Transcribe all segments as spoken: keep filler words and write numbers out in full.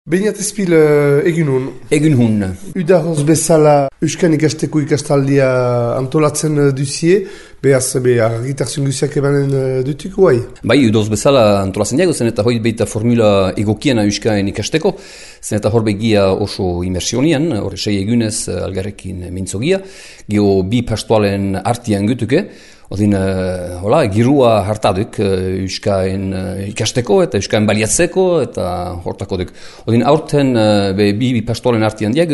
Beñat ezpil uh, egin hun. Egin hun. Udahoz bezala Euskan ikasteko ikastaldia antolatzen uh, duzie, behaz be, argitarzun guziak ebanen uh, dutuk guai? Bai, udahoz bezala antolatzen diago, zen eta hoi beita formula egokiena Euskan ikasteko, zen eta hor begia oso imersionian, hor sei egunez uh, algarrekin mintzogia, geho bi pastoalen artian gutuke, Odin, uh, hola, girua hartaduk uh, Euskaen uh, ikasteko eta Euskaen baliatzeko eta hortako duk. Odin, aurten uh, be, bi, bi pastoren artian diag,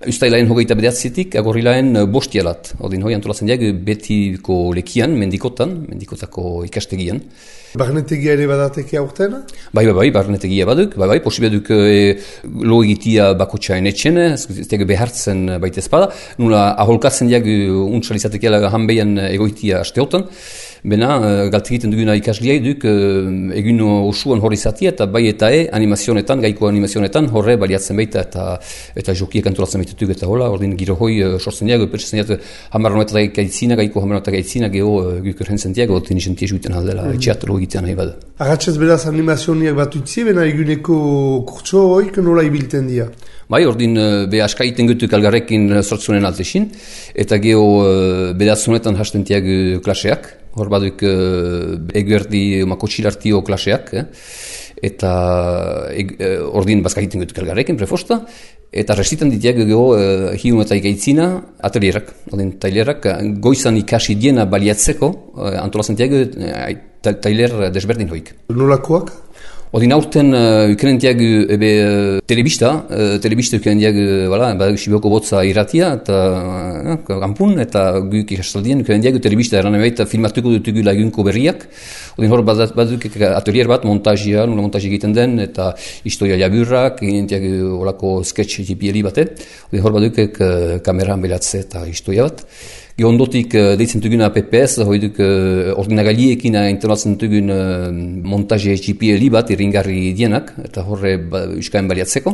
ustailaen hogeita bedatzetik, agorilaen uh, bostialat. Odin, hoi antolatzen diag, betiko lekian, mendikotan, mendikotako ikastegian. Barnetegia ere badateke aurten? Bai, bai, bai, barnetegia baduk, bai, bai, posibe duk e, lo egitia bakotxain etxene, ez diag behartzen baita espada, nula aholkatzen diag untsalizatekiala hanbeian egoitia asteotan, bena, galte egiten duguna ikasliai duk, egin osuan hori zatia, eta bai eta e, animazionetan, gaiko animazionetan, horre baliatzen baita, eta eta jokiek antolatzen baitutuk, eta hola, ordin giro hoi sortzen diag, pentsatzen diag, hamarronetak gaitzina, gaiko hamarronetak gaitzina, geho guk errentzen diag, ordin izan tiesuiten aldela, etxeatro egitean nahi bada. Agatzez beraz animazioniak bat utzi, bena eguneko kurtso hoik nola ibilten dira? Bai, ordin be askaiten gutuk algarrekin sortzunen altesin, eta geho bedatzunetan hasten tiag klaseak, hor baduk eguerdi makotxilartio klaseak, eh? eta e, ordin bazkaiten gutuk algarrekin prefosta, eta restitan ditiak geho uh, hiun eta ikaitzina atelierak, ordin tailerak goizan ikasi diena baliatzeko, uh, antolazen tiag uh, tailer desberdin hoik. Nolakoak? Odin aurten uh, ukenen diag ebe uh, telebista, uh, telebista ukenen diag uh, badak Sibioko botza irratia, eta uh, kampun, eta guk ikastaldien ukenen diag telebista eran ebaita filmatuko dutugu lagunko berriak. Odin hor baduk atelier bat, montajia, nula montaji egiten den, eta historia jaburrak, egin diag olako sketch jipieli bate. Odin hor baduk uh, kameran belatze eta historia bat. Ondotik uh, deitzen duguna P P S, hoi duk uh, ordinagaliekin internatzen dugun uh, montaje G P L bat irringarri dienak, eta horre ba, Euskaen baliatzeko.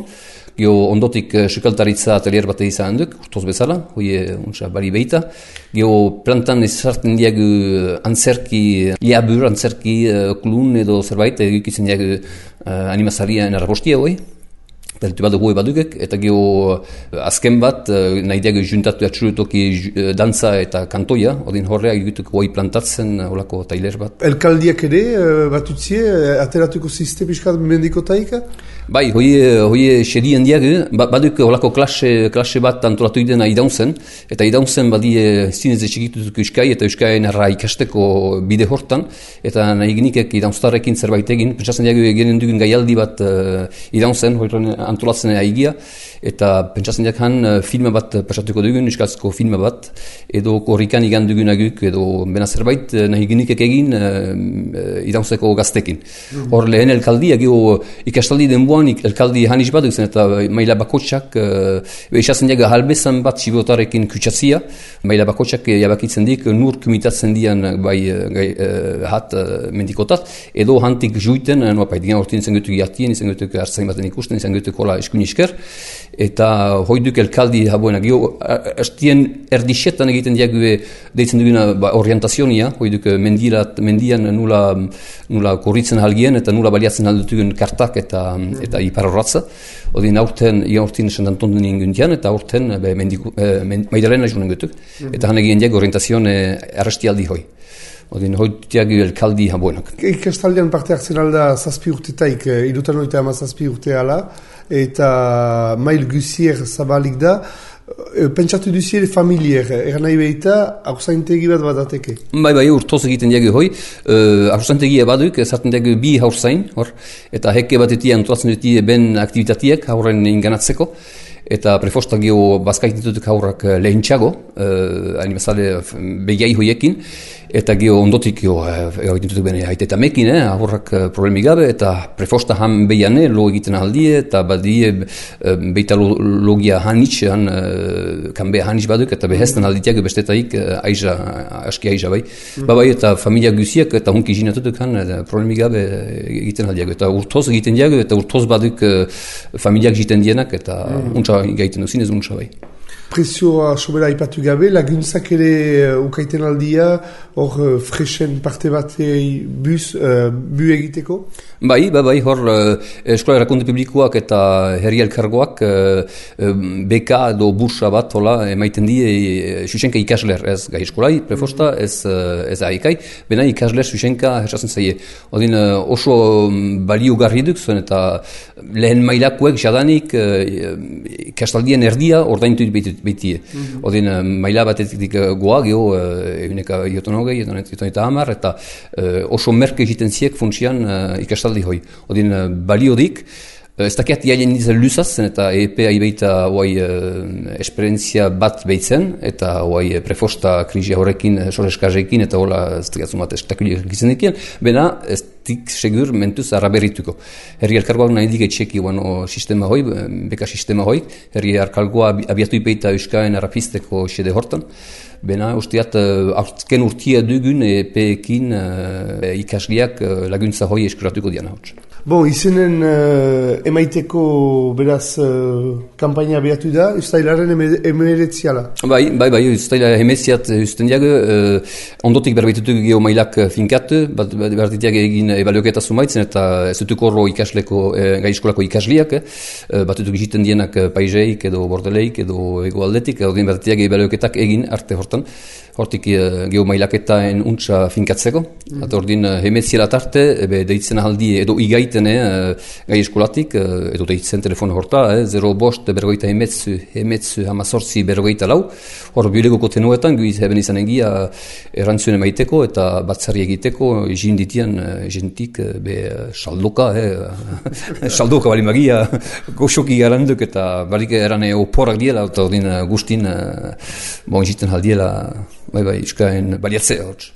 Gio ondotik uh, sukaltaritza atelier bat izan duk, urtoz bezala, hoi untsa bali behita. Gio plantan ezartzen diagu antzerki, liabur, antzerki uh, klun edo zerbait, egikitzen diagu uh, animazarien arrabostia hoi. Delitu bat goe badugek, eta geho azken bat, nahi diago juntatu atxurutoki dantza eta kantoia, odin horreak egituk goi plantatzen olako tailer bat. Elkaldiak ere bat utzie, ateratuko ziste piskat mendikotaika? Bai, hoi xerien diago, baduk olako klase, klase bat antolatu idena idaunzen, eta idaunzen badie zinez etxekitutuk Euskai eta Euskaien arra ikasteko bide hortan, eta nahi genikek idaunztarrekin zerbait egin, pentsatzen diago eginen dugun gaialdi bat uh, idaunzen, hoi antolatzen aigia, eta pentsatzen diak han filma bat pasatuko dugun, euskaltzko filma bat, edo korrikan igan dugunaguk, edo bena zerbait nahi genikek egin uh, idaunzeko gaztekin. Hor lehen elkaldia, geho ikastaldi denboan elkaldi hanis bat duzen, eta maila bakotxak, uh, esatzen diak halbezan bat sibotarekin kutsatzia, maila bakotxak jabakitzen dik, nur kumitatzen dian bai gai, uh, hat uh, mendikotat, edo hantik juiten, uh, nuapait, digan hortin izan gutuk jatien, izan gutuk hartzain baten ikusten, izan gutuk hola eskunisker, eta hoiduk elkaldi habuena, gio, estien erdixetan egiten diague deitzen duguna ba, orientazionia, hoiduk mendirat, mendian nula, nula korritzen halgien, eta nula baliatzen aldutugun kartak eta, eta iparorratza. Odin aurten, ian aurten esan danton duen inguntian, eta aurten be, mendiku, eh, men, maidalena junen gutuk, eta han egin diague orientazione arrestialdi hoi. Odin hoitiak elkaldi habuenak. Ikastaldian parte hartzen alda zazpi urtetaik, irutan oita ama zazpi urte ala, eta mail guzier zabalik da, pentsatu duzier familier, eran nahi behita, haurzaintegi bat badateke? Bai, bai, urtoz egiten diago hoi, uh, haurzaintegia baduk, ezartzen diago bi haurzain, hor, eta heke batetia antolatzen dutie ben aktivitatiek haurren inganatzeko, eta prefosta geho bazkaititutuk haurrak lehintxago, uh, animazale begiai hoiekin, eta geho ondotik geho egiten dutuk bene haite eta mekin, eh, haurrak problemi gabe, eta prefosta han behiane lo egiten ahaldie, eta badie uh, beita lo, logia hanitz, han uh, kanbe hanitz baduk, eta behestan alditiak bestetaik uh, aiza, aski aiza bai. Mm-hmm. Ba bai, eta familia guziak, eta hunki jinatutuk han uh, problemi gabe egiten aldiago, eta urtoz egiten diago, eta urtoz baduk uh, familiak jiten dienak, eta mm-hmm. untsa gaiten duzin ez untsa bai. prezioa sobera ipatu gabe, laguntzak ere uh, ukaiten aldia, hor uh, fresen parte batei bus, uh, bu egiteko? Bai, bai, bai, hor uh, eskola erakunde publikoak eta herri elkargoak uh, uh, beka edo bursa bat hola emaiten die uh, susenka ikasler, ez gai eskolai, prefosta, ez, uh, ez aikai, bena ikasler susenka hersatzen zaie. Odin uh, oso baliogarri duk zuen eta lehen mailakoek jadanik uh, ikastaldien erdia ordaintu beitie. Mm-hmm. Odin uh, maila batetik uh, goa, geho uh, eguneka ioton hogei, ioton eta hamar, eta uh, oso merke egiten ziek funtsian uh, ikastaldi hoi. Odin uh, baliodik, uh, ez dakiat jailen nizan luzazen eta E P A ibeita uh, esperientzia bat behitzen, eta uh, prefosta krisia horrekin, soreskazekin, eta hola ez dakiatzen bat estakuliak egiten dikien, bena ez tik segur mentuz araberituko. Herri elkargoak nahi dik etxeki bueno, sistema hoi, beka sistema hoi, herri elkargoa abiatu ipeita euskaen arapisteko xede hortan, bena usteat azken urtia dugun E P-ekin uh, ikasliak uh, laguntza hoi eskuratuko diana hotz. Bon, izenen uh, emaiteko beraz uh, kampaina behatu da, ustailaren emeretziala. Bai, bai, bai, ustaila emeziat usten diag, uh, ondotik berbeitutuk geho mailak finkat, bat bertitiak egin ebaluoketa zumaitzen eta ez dutuk horro ikasleko, eh, gai eskolako ikasliak, eh, bat dutuk egiten dienak paiseik edo bordeleik edo egoaldetik, odin bertitiak ebaluoketak egin arte hortan. Hortik uh, geho mailaketaen untsa finkatzeko. Mm. Eta ordin uh, hemetziela tarte, ebe deitzen ahaldi edo igaiten uh, gai eskolatik, uh, edo deitzen telefona horta, eh, zero bost berrogeita hemetzu, hemetzu hamazortzi berrogeita lau. Hor bilegoko tenuetan, guiz heben izan egia erantzune maiteko eta batzari egiteko, jinditian uh, jentik uh, be saldoka, eh, saldoka bali magia, goxoki garanduk eta balik erane oporak diela, eta ordin uh, guztin, uh, bon jiten haldiela, bai bai, iskaen baliatzea hotz.